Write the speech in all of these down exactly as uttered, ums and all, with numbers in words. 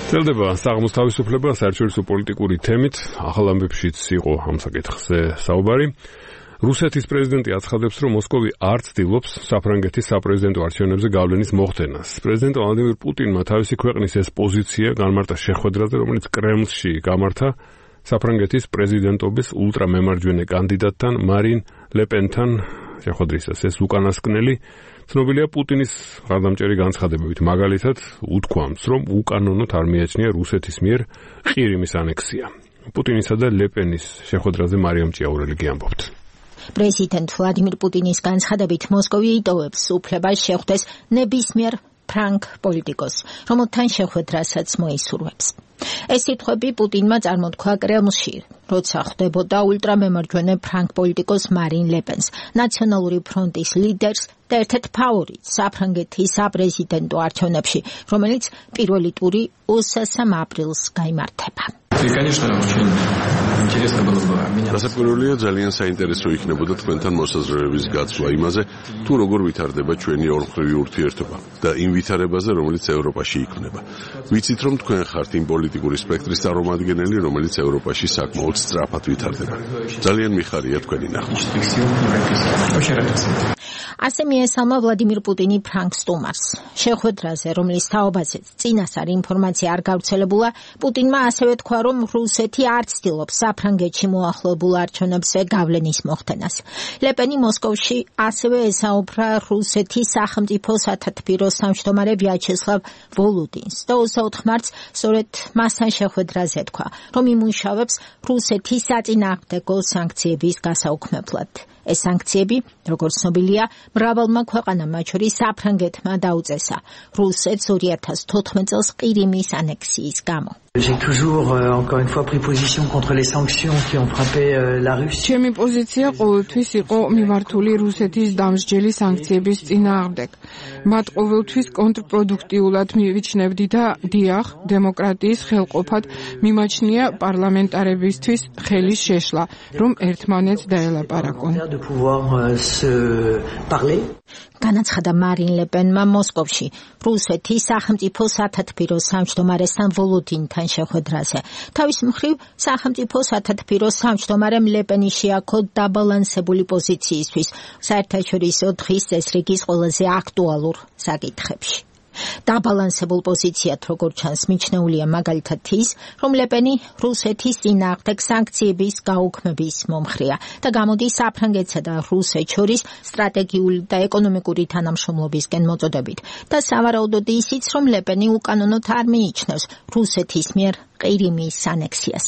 წელდება საღამოს თავისუფლება საერთაშორისო პოლიტიკური თემით, ახალ ამბებშიც იყო ამ საკითხზე საუბარი. რუსეთის პრეზიდენტი აცხადებს, რომ მოსკოვი არ ცდილობს საფრანგეთის საპრეზიდენტო არჩევნებზე გავლენის მოხდენას. პრეზიდენტ ვლადიმირ პუტინმა თავისი ქვეყნის ეს პოზიცია განმარტა შეხვედრაზე, რომელიც კრემლში გამართა საფრანგეთის პრეზიდენტობის ულტრამემარჯვენე კანდიდატთან მარინ ლეპენთან. შეხვედრისას ეს უკანასკნელი ცნობილია პუტინის ღარდამჭერი განცხადებებით, მაგალითად უთქვამს, რომ უკანონოდ არ მიაჩნია რუსეთის მიერ ყირიმის ანექსია. პუტინისა და ლეპენის შეხვედრაზე მარიამ ჭიაურელი გიამბობთ. პრეზიდენტ ვლადიმირ პუტინის განცხადებით მოსკოვი იტოვებს უფლებას შეხვდეს ნებისმიერ ფრანგ პოლიტიკოს, რომელთან შეხვედრასაც მოისურვებს. ეს სიტყვები პუტინმა წარმოთქვა კრემლში, როცა ხვდებოდა ულტრამემარჯვენე ფრანგ პოლიტიკოს მარინ ლეპენს, ნაციონალური ფრონტის ლიდერს და ერთ-ერთ ფავორიტს საფრანგეთის საპრეზიდენტო არჩევნებში, რომელიც პირველი ტური ოცდასამ აპრილს გაიმართება. დასაკვირველია, ძალიან საინტერესო იქნებოდა თქვენთან მოსაზრებების გაცვლა იმაზე, თუ როგორ ვითარდება ჩვენი ორმხრივი ურთიერთობა და იმ ვითარებაზე, რომელიც ევროპაში იქმნება. ვიცით, რომ თქვენ ხართ იმ პოლიტიკური სპექტრის წარმომადგენელი, რომელიც ევროპაში საკმაოდ სწრაფად ვითარდება. ძალიან მიხარია თქვენი ნახვა. ასე მიესალმა ვლადიმირ პუტინი ფრანგ სტუმარს. შეხვედრაზე, რომლის თაობაზეც წინასწარ ინფორმაცია არ გავრცელებულა, პუტინმა ასევე თქვა, რომ რუსეთი არ ცდილობს საფრანგეთში მოახლოებულ არჩევნებზე გავლენის მოხდენას. ლეპენი მოსკოვში ასევე ესაუბრა რუსეთის სახელმწიფო სათათბირო სამშვიდობარე ვიაჩესლავ ვოლოდინს და ოცდაოთხ მარტს სწორედ მასთან შეხვედრაზე თქვა, რომ იმუშავებს რუსეთის საწინააღმდეგო სანქციების გასაუქმებლად. ეს სანქციები, როგორც ცნობილია, მრავალმა ქვეყანამ, მათ შორის საფრანგეთმა დაუწესა რუსეთს ორი ათას თოთხმეტ წელს ყირიმის ანექსიის გამო. J'ai toujours, euh, encore une fois, pris position contre les sanctions qui ont frappé euh, la Russie. ჩემი პოზიცია ყოველთვის იყო მიმართული რუსეთის დამსჯელი სანქციების წინააღმდეგ. მათ ყოველთვის კონტრპროდუქტიულად მივიჩნევდი და დიახ, დემოკრატიის ხელყოფად მიმაჩნია პარლამენტარებისთვის ხელის შეშლა, რომ ერთმანეთს დაელაპარაკონ. განაცხადა მარინ ლეპენმა მოსკოვში რუსეთის სახელმწიფო სათათბირო სამშვიდობარესთან ვოლოდინთან შეხვედრაზე. თავის მხრივ სახელმწიფო სათათბირო სამშვიდობარემ ლეპენი შეაქო დაბალანსებული პოზიციისთვის საერთაშორისო დღის წესრიგის ყველაზე აქტუალურ საკითხებში. დაბალანსებულ პოზიციად, როგორც ჩანს, მიჩნეულია მაგალითად ის, რომ ლეპენი რუსეთის წინააღმდეგ სანქციების გაუქმების მომხრეა და გამოდის საფრანგეთსა და რუსეთს შორის სტრატეგიული და ეკონომიკური თანამშრომლობისკენ მოწოდებით და სავარაუდოდ ისიც, რომ ლეპენი უკანონოდ არ მიიჩნევს რუსეთის მიერ ყირიმის ანექსიას.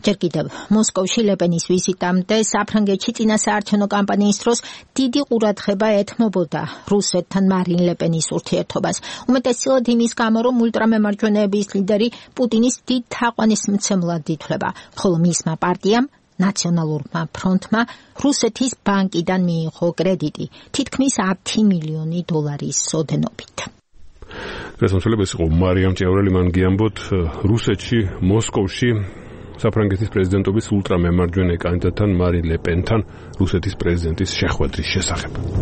ჯერ კიდევ მოსკოვში ლეპენის ვიზიტამდე საფრანგეთში წინასაარჩევნო კამპანიის დროს დიდი ყურადღება ეთმობოდა რუსეთთან მარინ ლეპენის ურთიერთობას. უმეტესწილად იმის გამო, რომ ულტრამემარჯვენეების ლიდერი პუტინის დიდ თაყვანისმცემლად ითვლება, ხოლო მისმა პარტიამ ნაციონალურმა ფრონტმა რუსეთის ბანკიდან მიიღო კრედიტი თითქმის ათი მილიონი დოლარის ოდენობით. რესპონსაბილები იყო მარიამ ჭიაურელი, მან გიამბოთ რუსეთში, მოსკოვში საფრანგეთის პრეზიდენტობის ულტრამემარჯვენე კანდიდატთან მარინ ლეპენთან რუსეთის პრეზიდენტის შეხვედრის შესახებ.